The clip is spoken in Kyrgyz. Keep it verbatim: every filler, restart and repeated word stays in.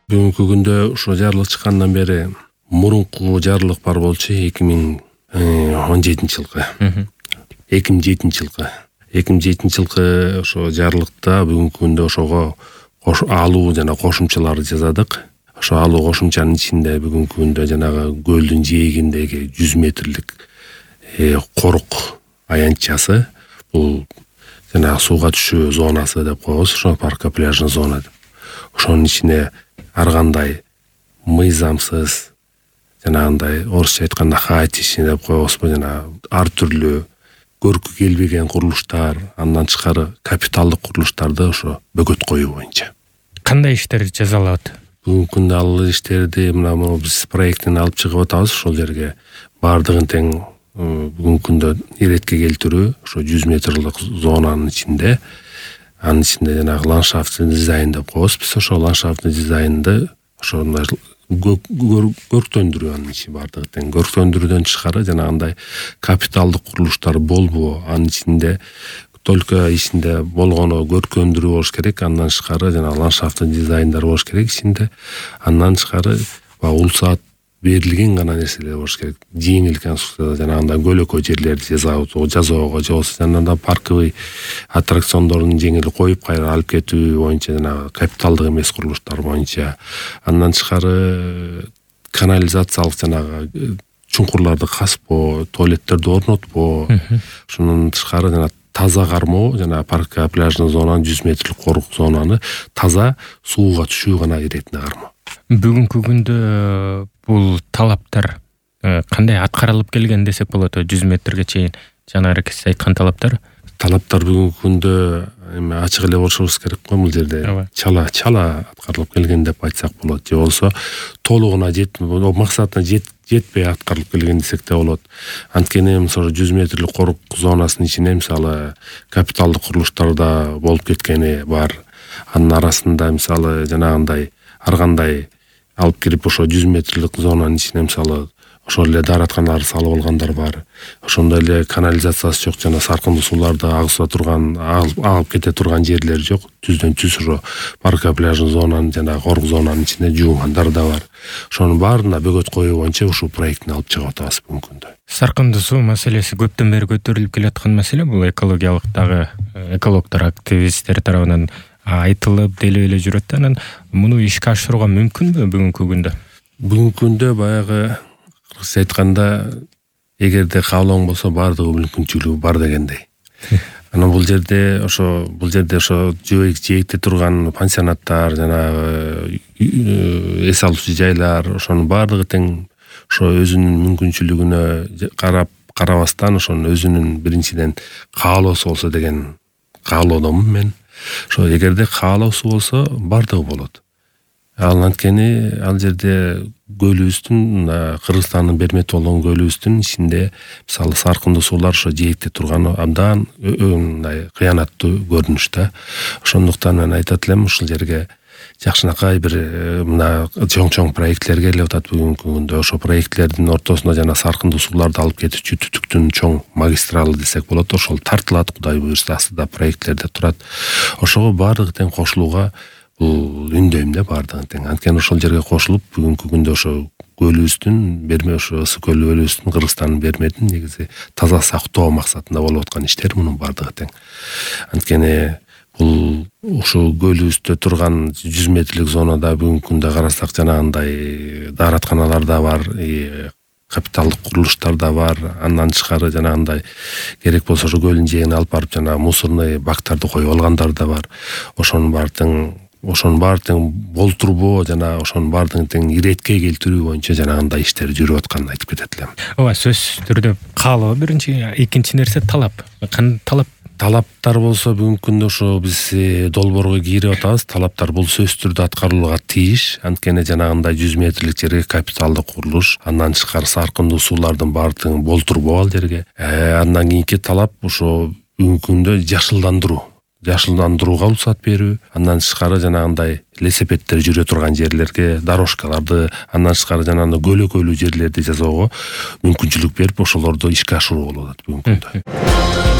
Бүгүнкү күндө ошо жарылык чыккандан бери мурунку жарылык бар болчу эки миң он жетинчи жылкы. эки миң жетинчи жылкы. эки миң жетинчи жылкы ошо жарылыкта бүгүнкү күндө ошого алуу жана кошумчаларды жасадык. Ошо алуу кошумчанын ичинде бүгүнкү күндө жанагы көлдүн жээгиндеги жүз метрлик корук аянтчасы, бул жанагы сууга түшүү зонасы деп коебуз, ошо паркка пляжный зона деп. Ошонун ичине ар кандай мыйзамсыз, жанагындай орусча айтканда хаотичный деп коебузбу, жана ар түрлүү көркү келбеген курулуштар, андан тышкары капиталдык курулуштарды ошо бөгөт коюу боюнча. Кандай иштер жасалат? Бүгүнкү күндө ал иштерди мына биз проектин алып чыгып атабыз. Ошол жерге бардыгын тең бүгүнкү күндө иретке келтирүү, ошо жүз метрлик зонанын ичинде, анын ичинде жанагы ландшафтный дизайн деп коебуз. Биз ошо ландшафтный дизайнды ошондой көрктөндүрүү, анын ичи бардыгы тең көрктөндүрүүдөн тышкары жанагындай капиталдык курулуштар болбоо, анын ичинде только ичинде болгону көркөндүрүү болуш керек, андан тышкары жана ландшафтный дизайндар болуш керек ичинде, андан тышкары улсаат берилген гана нерселер болуш керек. Жеңил конструкция, жанагындай көлөкө жерлерди жасоого, же болбосо жанагындай парковый аттракциондордун жеңил коюп кайра алып кетүү боюнча, жанагы капиталдык эмес курулуштар боюнча. Андан тышкары канализациялык жанагы чуңкурларды казбоо, туалеттерди орнотпоо, ошондон тышкары жана таза кармоо, жана паркка пляжный зонаны жүз метрлик корук зонаны таза сууга түшүү гана иретине кармоо. Бүгүнкү күндө бул талаптар кандай аткарылып келген десек болот? жүз метрге чейин жанагы сиз айткан талаптар. Талаптар бүгүнкү күндө эми ачык эле болушубуз керек го, бул жерде чала чала аткарылып келген деп айтсак болот, же болбосо толугуна жетпей, максатына жетпей аткарылып келген десек да болот. Анткени мисалы жүз метрлик корук зонасынын ичине мисалы капиталдык курулуштар да болуп кеткени бар. Анын арасында мисалы жанагындай ар кандай алып кирип ошо жүз метрлик зонанын ичине мисалы ошол эле дааратканаларды салып алгандар бар. Ошондой эле канализациясы жок, жана саркындуу сууларды агыза турган, алып кете турган жерлер жок. Түздөн түз ошо паркка пляжный зонанын жана корук зонанын ичине жуугандар да бар. Ошонун баарына бөгөт коюу боюнча ушул проектин алып чыгып атабыз бүгүнкү күндө. Саркындуу суу маселеси көптөн бери көтөрүлүп келаткан маселе. Бул экологиялык дагы экологдор, активисттер тарабынан айтылып делип эле жүрөт. Анан муну ишке ашырууга мүмкүнбү бүгүнкү күндө? Бүгүнкү күндө баягы кыргызча айтканда эгерде каалооң болсо баардыгы мүмкүнчүлүгү бар дегендей. Анан бул жерде ошо бул жерде ошо жээкте турган пансионаттар, жанагы эс алуучу жайлар, ошонун баардыгы тең ошо өзүнүн мүмкүнчүлүгүнө карап карабастан ошонун өзүнүн биринчиден каалоосу болсо деген каалоодомун мен. Ошо эгерде каалоосу болсо баардыгы болот. Ал анткени ал жерде көлүбүздүн, Кыргызстандын бермети болгон көлүбүздүн ичинде мисалы саркындуу суулар ошо жээкте турганы абдан мындай кыянаттуу көрүнүштө. Ошондуктан мен айтат элем, ушул жерге жакшынакай бир мына чоң-чоң проектлер келип атат бүгүнкү күндө. Ошо проектлердин ортосунда жана саркындуу сууларды алып кетүүчү түтүктүн чоң магистралы десек болот, ошол тартылат, Кудай буюрса, астыда проектлерде турат. Ошого баардыгы тең кошулууга бул үндөйм да, баардыгы тең. Анткени ошол жерге кошулуп бүгүнкү күндө ошо көлүбүздүн берме, ошо ысык көлүбүздүн, Кыргызстандын берметин негизи таза сактоо максатында болуп аткан иштер мунун баардыгы тең. Анткени бул ушул көлүбүздө турган жүз метрлик зонада бүгүнкү күндө карасак жанагындай дааратканалар да бар, капиталдык курулуштар да бар. Андан тышкары жанагындай керек болсо ошо көлдүн жээгине алып барып жана мусорный бактарды коюп алгандар да бар. Ошонун баары тең ошонун баары тең болтурбоо жана ошонун баардыгын тең иретке келтирүү боюнча жанагындай иштер жүрүп атканын айтып кетет элем. Ооба, сөзсүз түрдө каалоо биринчи, экинчи нерсе талап. Кандай талап? Талаптар болсо бүгүнкү күндө ошо биз долбоорго кирип атабыз. Талаптар бул сөзсүз түрдө аткарылууга тийиш. Анткени жанагындай жүз метрлик жерге капиталдык курулуш, андан тышкары саркындуу суулардын баардыгын болтурбоо ал жерге. Андан кийинки талап ошо бүгүнкү күндө жашылдандыруу. Жашылдандырууга уруксат берүү, андан тышкары жанагындай велосипеддер жүрө турган жерлерге дорожкаларды, андан тышкары жанагындай көлөкөлүү жерлерди жасоого мүмкүнчүлүк берип, ошолорду ишке ашыруу болуп атат бүгүнкү күндө.